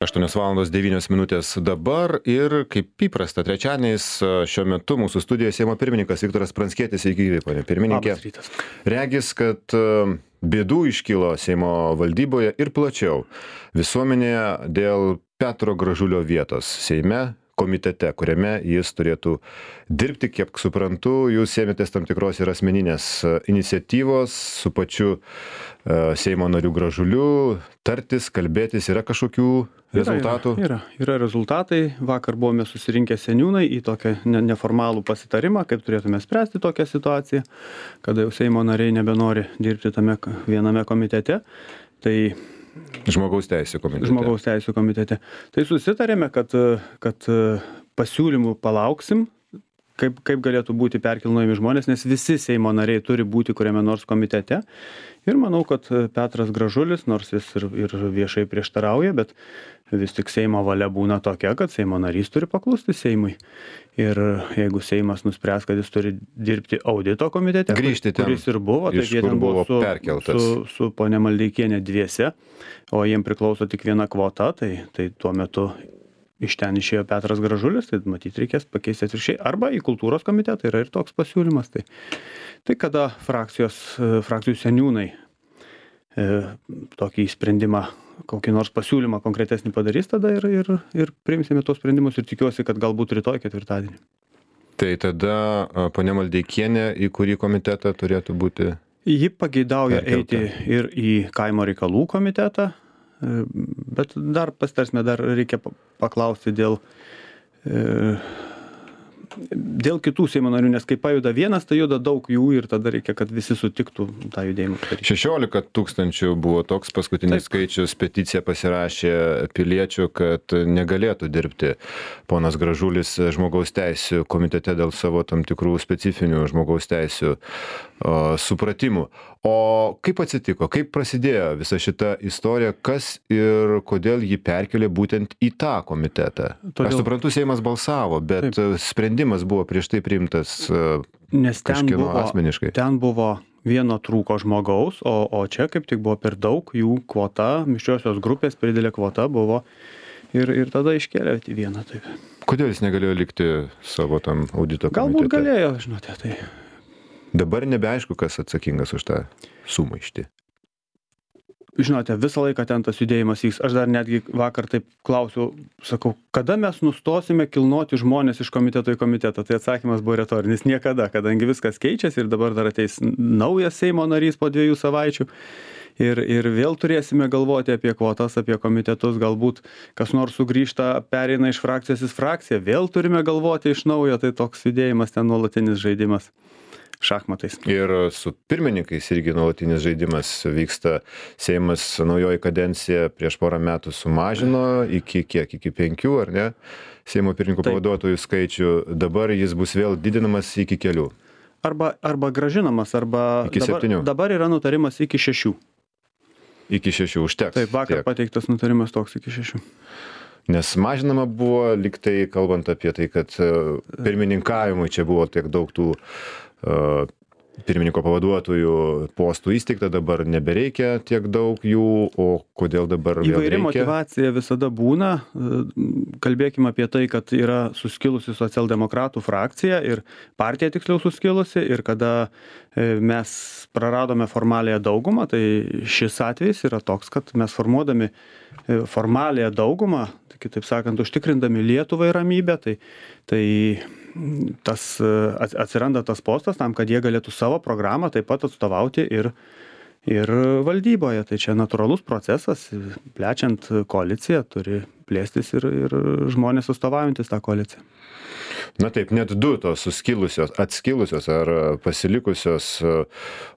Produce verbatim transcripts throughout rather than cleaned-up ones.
aštuonios valandos devynios minutės dabar ir kaip įprasta trečiadieniais šiuo metu mūsų studijoje Seimo pirmininkas Viktoras Pranckietis. Sveiki, gyvi, ponia pirmininkė. Labas rytas. Regis, kad bėdų iškilo Seimo valdyboje ir plačiau visuomenėje dėl Petro Gražulio vietos Seime komitete, kuriame jis turėtų dirbti. Kiek suprantu, jūs ėmėtės tam tikros ir asmeninės iniciatyvos su pačiu Seimo nariu Gražuliu, tartis, kalbėtis. Yra kažkokių rezultatų? Yra, yra, yra rezultatai. Vakar buvome susirinkę seniūnai į tokią neformalų pasitarimą, kaip turėtume spręsti tokią situaciją, kada jau Seimo nariai nebenori dirbti tame viename komitete. Tai Žmogaus teisų komitete. Žmogaus teisų komitete. Tai susitarėme, kad, kad pasiūlymų palauksim, kaip, kaip galėtų būti perkilnojami žmonės, nes visi Seimo nariai turi būti kuriame nors komitete. Ir manau, kad Petras Gražulis, nors jis ir, ir viešai prieštarauja, bet vis tik Seimo valia būna tokia, kad Seimo narys turi paklusti Seimui. Ir jeigu Seimas nuspręs, kad jis turi dirbti audito komitete, grįžti ten, kuris ir buvo, tai jie ten buvo su, su, su ponia Maldeikienė dviese, o jiem priklauso tik viena kvota, tai, tai tuo metu iš ten išėjo Petras Gražulis, tai matyti reikės pakeisti atvirkščiai, arba į kultūros komitetą, yra ir toks pasiūlymas. Tai, tai kada frakcijos, frakcijų seniūnai e, tokį sprendimą, kokį nors pasiūlymą konkretesnį padarys, tada ir, ir, ir priimsime tos sprendimus ir tikiuosi, kad galbūt rytoj ketvirtadienį. Tai tada ponia Maldeikienė į kurį komitetą turėtų būti? Ji pageidauja eiti ir į kaimo reikalų komitetą, bet dar pasitarsime, dar reikia paklausti dėl, e, dėl kitų Seimo narių, nes kai pajuda vienas, tai juda daug jų ir tada reikia, kad visi sutiktų tą judėjimą daryti. šešiolika tūkstančių buvo toks paskutinis Taip. skaičius, peticiją pasirašė piliečių, kad negalėtų dirbti ponas Gražulis žmogaus teisų komitete dėl savo tam tikrų specifinių žmogaus teisų o, supratimų. O kaip atsitiko, kaip prasidėjo visa šita istorija, kas ir kodėl jį perkelė būtent į tą komitetą? Todėl... Aš suprantu, Seimas balsavo, bet Taip. sprendimas buvo prieš tai priimtas Nes ten kažkieno buvo, asmeniškai. Ten buvo vieno trūko žmogaus, o, o čia kaip tik buvo per daug, jų kvota, mišriosios grupės per didelė kvota buvo ir, ir tada iškėlė vieną. Taip. Kodėl jis negalėjo likti savo tam audito komitete? Galbūt galėjo, žinote, tai... Dabar nebeaišku, kas atsakingas už tą sumaištį. Žinote, visą laiką ten tas judėjimas vyks. Aš dar netgi vakar taip klausiau, sakau, kada mes nustosime kilnoti žmonės iš komiteto į komitetą? Tai atsakymas buvo retorinis. Niekada, kadangi viskas keičiasi ir dabar dar ateis naujas Seimo narys po dviejų savaičių. Ir, ir vėl turėsime galvoti apie kvotas, apie komitetus, galbūt kas nors sugrįžta, pereina iš frakcijos į frakciją, vėl turime galvoti iš naujo, tai toks judėjimas ten nuolatinis žaidimas. Šachmatais. Ir su pirmininkais irgi nuolatinis žaidimas vyksta. Seimas naujoji kadencija prieš porą metų sumažino iki kiek, iki penkių, ar ne? Seimo pirmininkų pavaduotojų skaičių. Dabar jis bus vėl didinamas iki kelių. Arba, arba gražinamas, arba iki dabar, septynių. Dabar yra nutarimas iki šešių. Iki šešių užteks. Taip, vakar tiek. Pateiktas nutarimas toks iki šešių. Nes mažinama buvo, liktai kalbant apie tai, kad pirmininkavimui čia buvo tiek daug tų uh, pirmininko pavaduotojų postų įsteigta, dabar nebereikia tiek daug jų, o kodėl dabar vėl reikia? Įvairi motyvacija visada būna. Kalbėkime apie tai, kad yra suskilusi socialdemokratų frakcija ir partija tiksliau suskilusi ir kada mes praradome formaliąją daugumą, tai šis atvejis yra toks, kad mes formuodami formaliąją daugumą, tai kitaip sakant, užtikrindami Lietuvai ramybę, tai, tai tas atsiranda tas postas tam, kad jie galėtų savo programą taip pat atstovauti ir, ir valdyboje. Tai čia natūralus procesas, plečiant koaliciją turi plėstis ir, ir žmonės atstovaujantis tą koaliciją. Na taip, net du tos suskilusios, atskilusios ar pasilikusios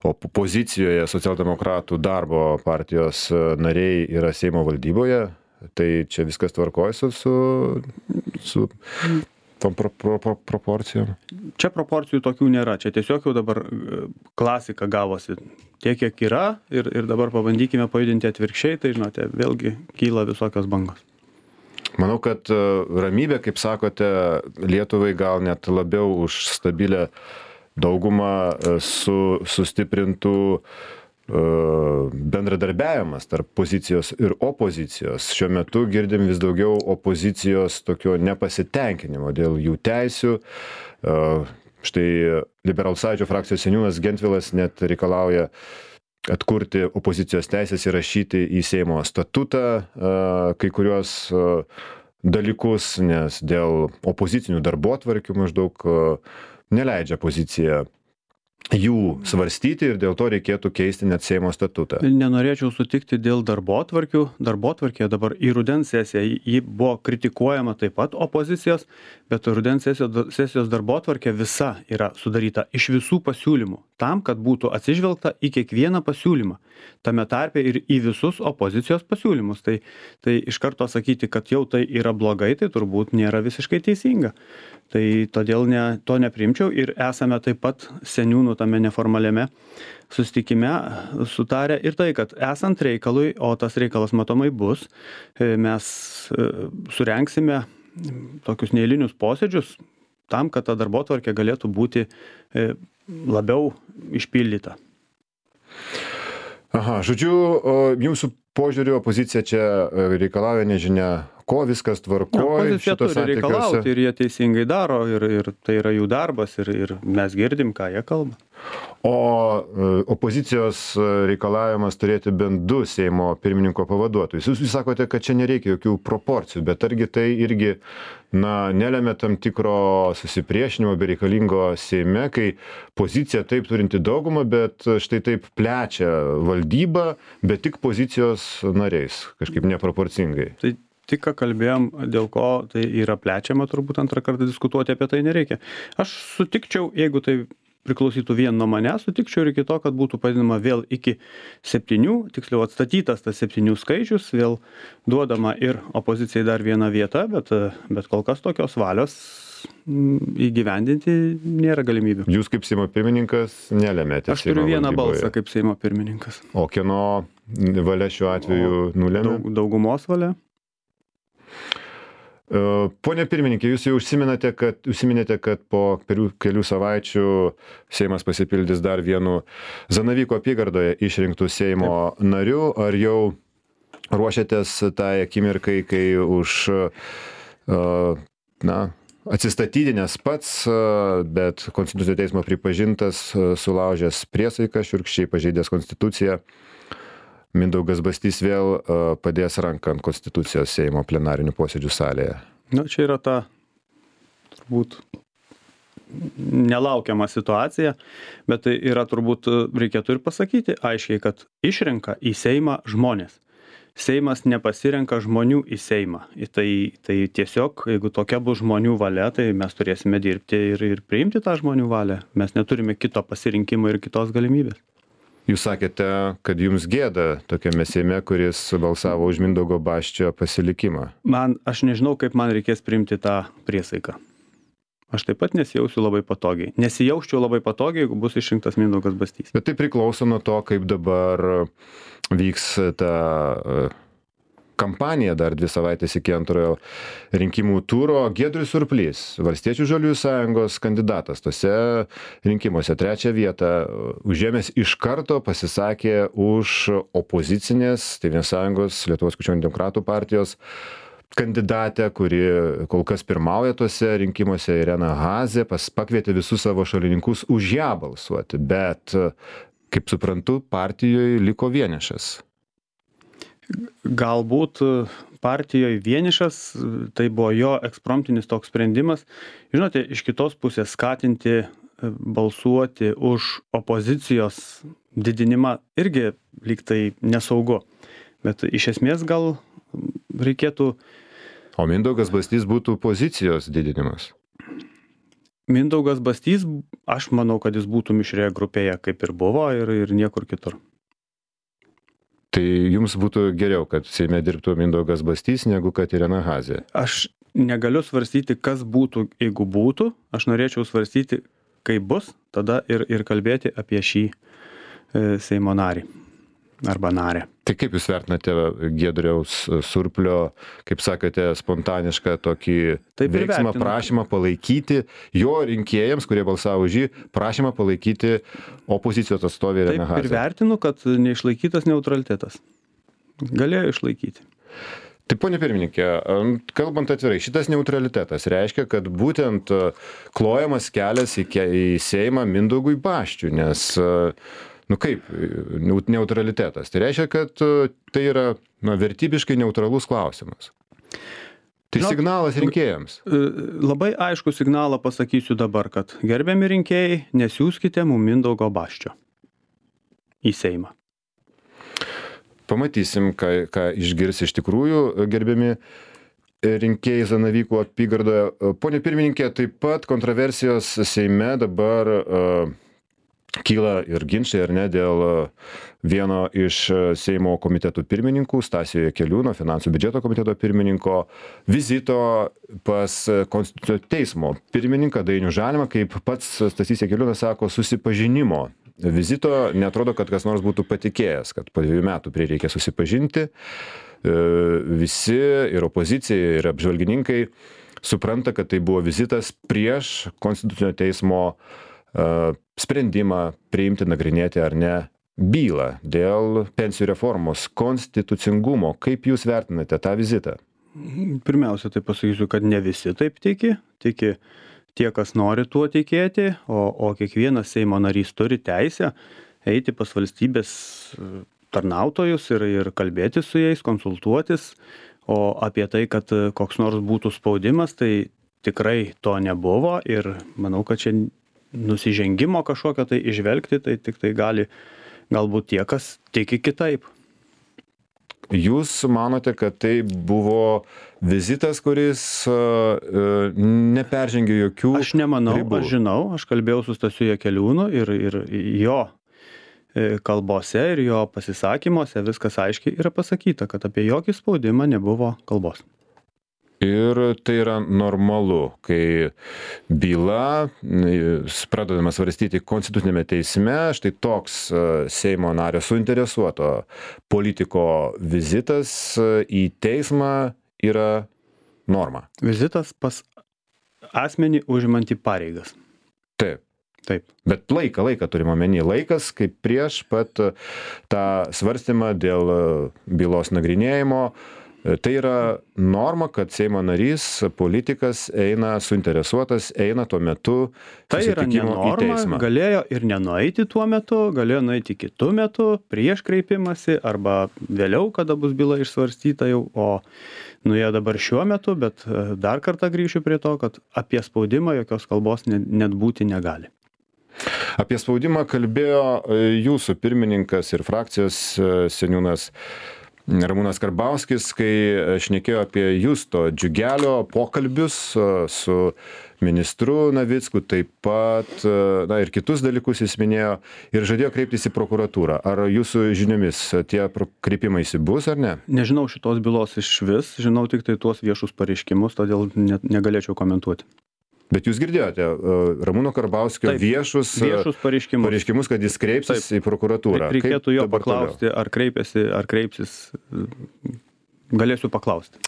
opozicijoje socialdemokratų darbo partijos nariai yra Seimo valdyboje. Tai čia viskas tvarkoja su, su, su tom pro, pro, pro, proporcijom? Čia proporcijų tokių nėra. Čia tiesiog jau dabar klasika gavosi tiek, kiek yra ir, ir dabar pabandykime pajudinti atvirkščiai, tai žinote, vėlgi kyla visokios bangos. Manau, kad ramybė, kaip sakote, Lietuvai gal net labiau už stabilę daugumą su sustiprintų bendradarbiavimas tarp pozicijos ir opozicijos. Šiuo metu girdim vis daugiau opozicijos tokio nepasitenkinimo dėl jų teisių. Štai Liberalų sąjūdžio frakcijos seniūnas Gentvilas net reikalauja atkurti opozicijos teisės įrašyti į Seimo statutą kai kuriuos dalykus, nes dėl opozicinių darbotvarkių maždaug neleidžia pozicija jų svarstyti ir dėl to reikėtų keisti net Seimo statutą. Nenorėčiau sutikti dėl darbotvarkių. Darbotvarkė dabar į rudens sesiją, ji buvo kritikuojama taip pat opozicijos, bet rudens sesijos, sesijos darbotvarkė visa yra sudaryta iš visų pasiūlymų, tam, kad būtų atsižvelgta į kiekvieną pasiūlymą, tame tarpe ir į visus opozicijos pasiūlymus. Tai, tai iš karto sakyti, kad jau tai yra blogai, tai turbūt nėra visiškai teisinga. Tai todėl ne, to neprimčiau ir esame taip pat seniūnų tame neformaliame susitikime sutarę ir tai, kad esant reikalui, o tas reikalas matomai bus, mes surenksime tokius neeilinius posėdžius tam, kad ta darbotvarkė galėtų būti labiau išpildyta. Aha, žodžiu, jūsų požiūriu opozicija čia reikalauja nežinia ko, viskas tvarkoj. Opozicija turi reikalauti ir jie teisingai daro ir, ir tai yra jų darbas ir, ir mes girdim, ką jie kalba. O opozicijos reikalavimas turėti bent du Seimo pirmininko pavaduotojus. Jūs sakote, kad čia nereikia jokių proporcijų, bet argi tai irgi na, nelemia tam tikro susipriešinimo bereikalingo Seime, kai pozicija taip turinti daugumą, bet štai taip plečia valdybą, bet tik pozicijos nariais, kažkaip neproporcingai. Tai tik ką kalbėjom, dėl ko tai yra plečiama, turbūt antrą kartą diskutuoti apie tai nereikia. Aš sutikčiau, jeigu tai priklausytų vien nuo manęs, sutikčiau ir iki to, kad būtų padinama vėl iki septynių, tiksliau atstatytas tas septynių skaičius, vėl duodama ir opozicijai dar viena vieta, bet, bet kol kas tokios valios įgyvendinti nėra galimybių. Jūs kaip Seimo pirmininkas nelemėte. Aš turiu vieną balsą kaip Seimo pirmininkas. O kieno valia šiuo atveju nulėmė? Daug, daugumos valia. Pone pirmininkė, jūs jau užsiminėte, kad, užsiminėte, kad po kelių savaičių Seimas pasipildys dar vienu Zanavyko apygardoje išrinktų Seimo Taip. nariu. Ar jau ruošiatės tai akimirkai, kai už na, atsistatydinęs pats, bet Konstitucinio teismo pripažintas, sulaužęs priesaiką, šiurkščiai pažeidęs Konstituciją, Mindaugas Bastys vėl padės ranką ant Konstitucijos Seimo plenarinių posėdžių salėje? Na, čia yra ta, turbūt, nelaukiama situacija, bet tai yra turbūt, reikėtų ir pasakyti aiškiai, kad išrenka į Seimą žmonės. Seimas nepasirenka žmonių į Seimą. Tai, tai tiesiog, jeigu tokia bus žmonių valia, tai mes turėsime dirbti ir, ir priimti tą žmonių valią. Mes neturime kito pasirinkimo ir kitos galimybės. Jūs sakėte, kad jums gėda tokiame Seime, kuris balsavo už Mindaugo Basčio pasilikimą. Man, aš nežinau, kaip man reikės priimti tą priesaiką. Aš taip pat nesijausiu labai patogiai. Nesijausčiau labai patogiai, jeigu bus išrinktas Mindaugas Bastys. Bet tai priklauso nuo to, kaip dabar vyks ta kampanija dar dvi savaitės iki antrojo rinkimų turo. Giedrius Surplys, Valstiečių žaliųjų sąjungos kandidatas tose rinkimuose trečią vietą užėmęs iš karto pasisakė už opozicinės Tėvynės sąjungos Lietuvos krikščionių demokratų partijos kandidatę, kuri kol kas pirmauja tose rinkimuose, Irena Hazė, pas pakvietė visus savo šalininkus už ją balsuoti, bet, kaip suprantu, partijoje liko vienišas. Galbūt partijoje vienišas, tai buvo jo ekspromtinis toks sprendimas. Žinote, iš kitos pusės skatinti balsuoti už opozicijos didinimą irgi lyg tai nesaugu. Bet iš esmės gal reikėtų... O Mindaugas Bastys būtų pozicijos didinimas? Mindaugas Bastys, aš manau, kad jis būtų mišrioje grupėje, kaip ir buvo, ir, ir niekur kitur. Tai jums būtų geriau, kad Seime dirbtų Mindaugas Bastys, negu kad Irena Hazė? Aš negaliu svarstyti, kas būtų, jeigu būtų. Aš norėčiau svarstyti, kaip bus, tada ir, ir kalbėti apie šį e, Seimo narį. arba narę. Tai kaip jūs vertinate Giedriaus Surplio, kaip sakėte, spontanišką tokį Taip ir veiksmą, vertinu. prašymą palaikyti jo rinkėjams, kurie balsavo už jį, prašymą palaikyti opozicijos atstovę Ireną Taip ir Hazę? vertinu, kad neišlaikytas neutralitetas. Galėjo išlaikyti. Tai ponia pirmininkė, kalbant atvirai, šitas neutralitetas reiškia, kad būtent klojamas kelias į, ke- į Seimą Mindaugui Baščiui, nes, nu kaip, neutralitetas. Tai reiškia, kad tai yra na, vertybiškai neutralus klausimas. Tai Žinot, signalas rinkėjams. Labai aišku signalą pasakysiu dabar, kad gerbiami rinkėjai, nesiųskite mum Mindaugo Baščio į Seimą. Pamatysim, ką, ką išgirs iš tikrųjų gerbiami rinkėjai Zanavykų apygardoje. Pone pirmininkė, taip pat kontroversijos Seime dabar uh, kyla ir ginčiai, ar ne, dėl vieno iš Seimo komitetų pirmininkų, Stasio Jakeliūno, finansų biudžeto komiteto pirmininko, vizito pas Konstitucinio teismo pirmininką Dainių Žalimą, kaip pats Stasys Jakeliūnas sako, susipažinimo vizito. Neatrodo, kad kas nors būtų patikėjęs, kad po dviejų metų prireikia susipažinti. Visi ir opozicija, ir apžvalgininkai supranta, kad tai buvo vizitas prieš Konstitucinio teismo sprendimą priimti, nagrinėti ar ne bylą dėl pensijų reformos konstitucingumo. Kaip jūs vertinate tą vizitą? Pirmiausia, tai pasakysiu, kad ne visi taip tiki. Tiki tie, kas nori tuo tikėti, o, o kiekvienas Seimo narys turi teisę eiti pas valstybės tarnautojus ir, ir kalbėti su jais, konsultuotis. O apie tai, kad koks nors būtų spaudimas, tai tikrai to nebuvo ir manau, kad čia nusižengimo kažkokio tai išvelgti, tai tik tai gali galbūt tie, kas tiki kitaip. Jūs manote, kad tai buvo vizitas, kuris uh, neperžengė jokių Aš nemanau, ribų? aš žinau, aš kalbėjau su Stasiu Jakeliūnu ir, ir jo kalbose ir jo pasisakymuose viskas aiškiai yra pasakyta, kad apie jokį spaudimą nebuvo kalbos. Ir tai yra normalu, kai byla pradedama svarstyti Konstitucinėme teisme, štai toks Seimo nario suinteresuoto politiko vizitas į teismą yra norma. Vizitas pas asmenį užimantį pareigas. Taip. Taip. Bet laiką, laiką turime omeny, laikas kaip prieš pat tą svarstymą dėl bylos nagrinėjimo. Tai yra norma, kad Seimo narys, politikas eina suinteresuotas, eina tuo metu Tai yra ne susitikimo į norma, teismą. galėjo ir nenueiti tuo metu, galėjo nueiti kitu metu, prieš kreipimąsi arba vėliau, kada bus byla išsvarstyta jau, o nuėjo dabar šiuo metu, bet dar kartą grįšiu prie to, kad apie spaudimą jokios kalbos net, net būti negali. Apie spaudimą kalbėjo jūsų pirmininkas ir frakcijos seniūnas Ramūnas Karbauskis, kai šnekėjo apie Justo Džiugelio pokalbius su ministru Navicku, taip pat, na ir kitus dalykus jis minėjo ir žadėjo kreiptis į prokuratūrą. Ar jūsų žiniomis tie kreipimaisi bus ar ne? Nežinau šitos bylos iš vis, žinau tik tai tuos viešus pareiškimus, todėl net negalėčiau komentuoti. Bet jūs girdėjote Ramūno Karbauskio Taip, viešus, viešus pareiškimus. pareiškimus, kad jis kreipsis Taip. į prokuratūrą. Taip, reikėtų Kaip jo dabar paklausti, ar kreipėsi, ar kreipsis, galėsiu paklausti.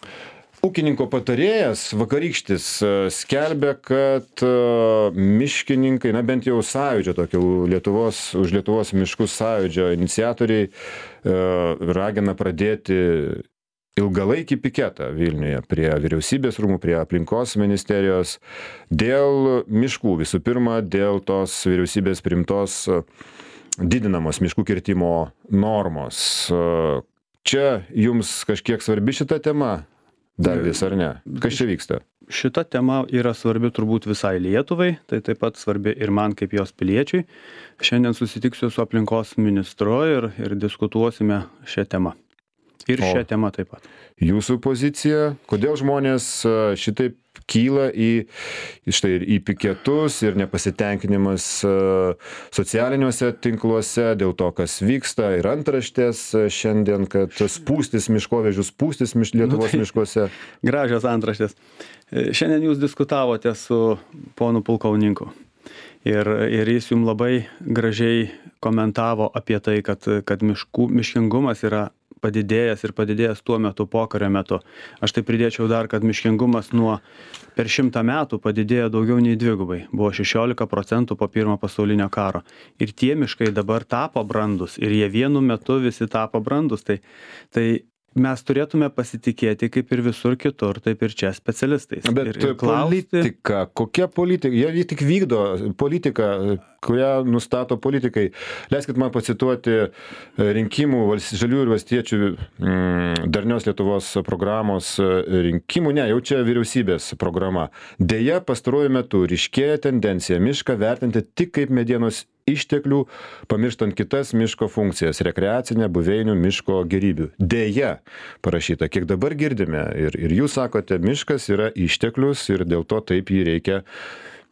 Ūkininko patarėjas Vakarykštis skelbia, kad miškininkai, na bent jau sąjūdžio, tokio Lietuvos, už Lietuvos miškų sąjūdžio iniciatoriai ragina pradėti ilgalaikį piketą Vilniuje prie vyriausybės rūmų, prie aplinkos ministerijos dėl miškų. Visų pirma, dėl tos vyriausybės priimtos didinamos miškų kirtimo normos. Čia jums kažkiek svarbi šita tema? Dar vis ar ne? Kas čia vyksta? Šita tema yra svarbi turbūt visai Lietuvai, tai taip pat svarbi ir man kaip jos piliečiui. Šiandien susitiksiu su aplinkos ministru ir, ir diskutuosime šią temą. Ir šią O temą taip pat. Jūsų pozicija, kodėl žmonės šitaip kyla į, štai, į piketus ir nepasitenkinimas socialiniuose tinkluose dėl to, kas vyksta, ir antraštės šiandien, kad spūstis miškovežių, spūstis miš, Lietuvos Nu, tai- miškuose. Gražios antraštės. Šiandien jūs diskutavote su ponu pulkauninku. Ir, ir jis jums labai gražiai komentavo apie tai, kad, kad miškų, miškingumas yra padidėjęs ir padidėjęs tuo metu, pokario metu. Aš tai pridėčiau dar, kad miškingumas nuo per šimtą metų padidėjo daugiau nei dvigubai. Buvo šešiolika procentų po pirmo pasaulinio karo. Ir tie miškai dabar tapo brandus ir jie vienu metu visi tapo brandus. Tai, tai mes turėtume pasitikėti kaip ir visur kitur, taip ir čia specialistais. Bet ir, ir klausti... politika, kokia politika, jie, jie tik vykdo politiką, kurią nustato politikai. Leiskit man pacituoti rinkimų žaliųjų ir valstiečių mm, darnios Lietuvos programos rinkimų, ne, jau čia vyriausybės programa. Deja, pastaruoju metu ryškėja tendencija mišką vertinti tik kaip medienos išteklių, pamirštant kitas miško funkcijas - rekreacinę, buveinių, miško gėrybių. Deja, parašyta, kiek dabar girdime, ir, ir jūs sakote, miškas yra išteklius ir dėl to taip jį reikia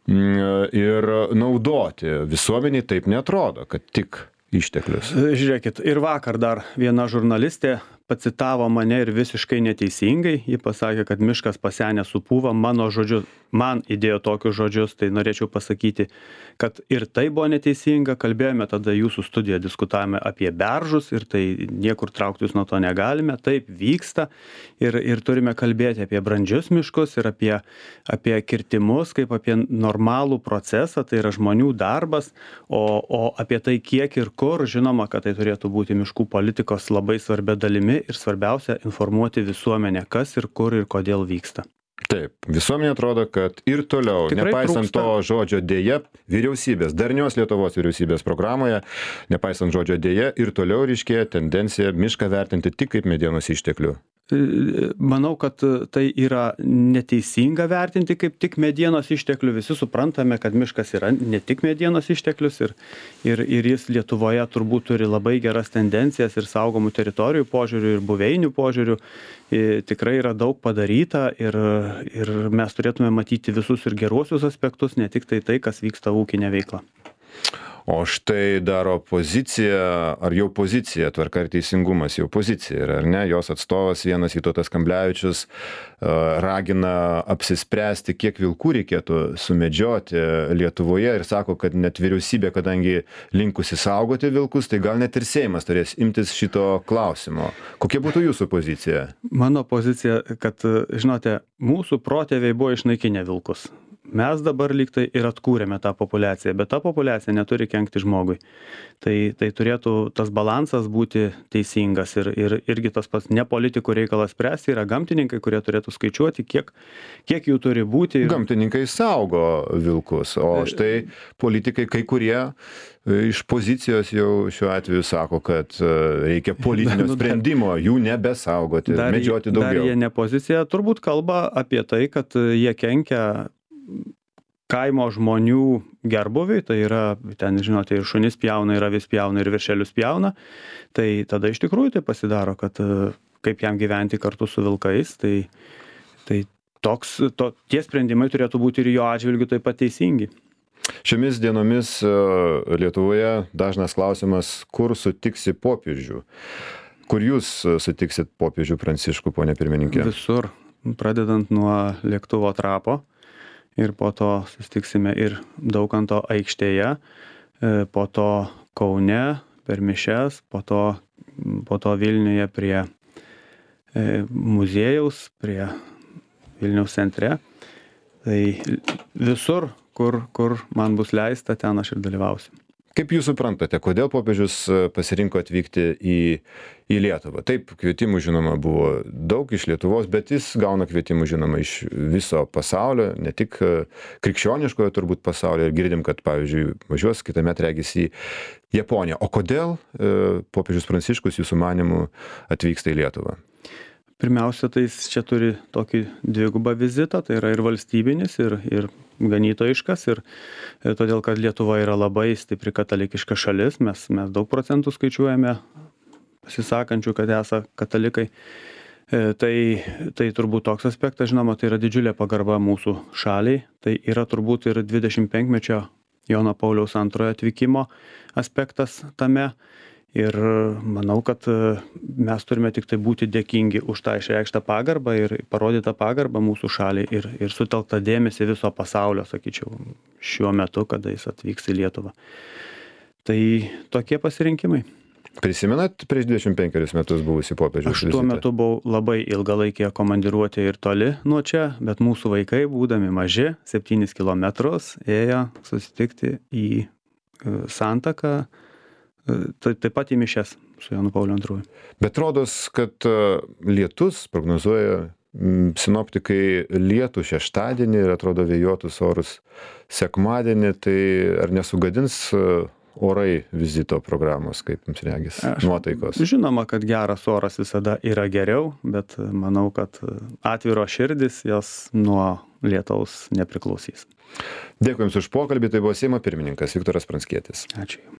mm, ir naudoti. Visuomeniai taip neatrodo, kad tik išteklius. Žiūrėkit, ir vakar dar viena žurnalistė pacitavo mane ir visiškai neteisingai. Ji pasakė, kad miškas pasenęs supūva, mano žodžiu, man įdėjo tokius žodžius, tai norėčiau pasakyti, kad ir tai buvo neteisinga. Kalbėjome tada jūsų studiją, diskutavome apie beržus ir tai niekur trauktis nuo to negalime. Taip vyksta ir, ir turime kalbėti apie brandžius miškus ir apie, apie kirtimus, kaip apie normalų procesą, tai yra žmonių darbas, o, o apie tai kiek ir kur, žinoma, kad tai turėtų būti miškų politikos labai svarbia dalimi ir svarbiausia informuoti visuomenę, kas ir kur ir kodėl vyksta. Taip, visuomenė atrodo, kad ir toliau, tikrai nepaisant trūksta to žodžio dėja, vyriausybės, darnios Lietuvos vyriausybės programoje, nepaisant žodžio dėja, ir toliau ryškėja tendencija mišką vertinti tik kaip medienos išteklių. Manau, kad tai yra neteisinga vertinti kaip tik medienos išteklių. Visi suprantame, kad miškas yra ne tik medienos išteklius ir, ir, ir jis Lietuvoje turbūt turi labai geras tendencijas ir saugomų teritorijų požiūrių ir buveinių požiūrių. Tikrai yra daug padaryta ir, ir mes turėtume matyti visus ir geruosius aspektus, ne tik tai tai, kas vyksta ūkinė veikla. O štai dar opozicija, ar jau pozicija, Tvarka ir teisingumas jau pozicija yra, ar ne? Jos atstovas vienas Vytautas Kamblevičius ragina apsispręsti, kiek vilkų reikėtų sumedžioti Lietuvoje ir sako, kad net vyriausybė, kadangi linkusi saugoti vilkus, tai gal net ir Seimas turės imtis šito klausimo. Kokia būtų jūsų pozicija? Mano pozicija, kad, žinote, mūsų protėviai buvo išnaikinę vilkus. Mes dabar lyg tai ir atkūrėme tą populiaciją, bet ta populiacija neturi kenkti žmogui. Tai, tai turėtų tas balansas būti teisingas ir, ir irgi tas pats ne politikų reikalas spręsti, yra gamtininkai, kurie turėtų skaičiuoti, kiek, kiek jų turi būti. Gamtininkai saugo vilkus, o štai politikai kai kurie iš pozicijos jau šiuo atveju sako, kad reikia politinio sprendimo, jų nebesaugoti, dar, medžioti daugiau. Dar jie ne pozicija, turbūt kalba apie tai, kad jie kenkia kaimo žmonių gerbuviui, tai yra, ten, žinote, ir šunis pjauna, ir avis pjauna, ir viršelius pjauna, tai tada iš tikrųjų tai pasidaro, kad kaip jam gyventi kartu su vilkais, tai, tai toks, to, tie sprendimai turėtų būti ir jo atžvilgiu taip pat teisingi. Šiomis dienomis Lietuvoje dažnas klausimas, kur sutiksi popiežių. Kur jūs sutiksit popiežių Pranciškų, ponė pirmininkė? Visur, pradedant nuo lėktuvo trapo. Ir po to susitiksime ir Daukanto aikštėje, po to Kaune per mišias, po to, po to Vilniuje prie muziejaus, prie Vilniaus centre. Tai visur, kur, kur man bus leista, ten aš ir dalyvausiu. Kaip jūs suprantate, kodėl popiežius pasirinko atvykti į, į Lietuvą? Taip, kvietimų žinoma buvo daug iš Lietuvos, bet jis gauna kvietimų žinoma iš viso pasaulio, ne tik krikščioniškojo turbūt pasaulio. Ir girdim, kad pavyzdžiui važiuos kitąmet regis į Japoniją. O kodėl e, popiežius Pranciškus jūsų manymu atvyksta į Lietuvą? Pirmiausia, tai jis čia turi tokį dvigubą vizitą, tai yra ir valstybinis, ir, ir ganytojiškas, ir, ir todėl, kad Lietuva yra labai stipri katalikiška šalis, mes, mes daug procentų skaičiuojame pasisakančių, kad esą katalikai. E, tai, tai turbūt toks aspektas, žinoma, tai yra didžiulė pagarba mūsų šaliai, tai yra turbūt ir dvidešimtpenkmečio Jono Pauliaus antrojo atvykimo aspektas tame. Ir manau, kad mes turime tik tai būti dėkingi už tą išreikštą pagarbą ir parodytą pagarbą mūsų šaliai ir, ir sutelktą dėmesį viso pasaulio, sakyčiau, šiuo metu, kada jis atvyks į Lietuvą. Tai tokie pasirinkimai. Prisimenat prieš dvidešimt penkerius metus buvusi popiežiaus Aš vizitą? tuo metu buvau labai ilgalaikėje komandiruotėje ir toli nuo čia, bet mūsų vaikai, būdami maži, septynis kilometrus, ėjo susitikti į Santaką, tai taip pat į mišias su Jonu Pauliu antrąjį. Bet rodos, kad lietus prognozuoja sinoptikai lietų šeštadienį ir atrodo vėjuotus orus sekmadienį, tai ar nesugadins orai vizito programos, kaip jums regis, nuotaikos? Žinoma, kad geras oras visada yra geriau, bet manau, kad atviro širdis jos nuo lietaus nepriklausys. Dėkui Jums už pokalbį, tai buvo Seimo pirmininkas Viktoras Pranckietis. Ačiū.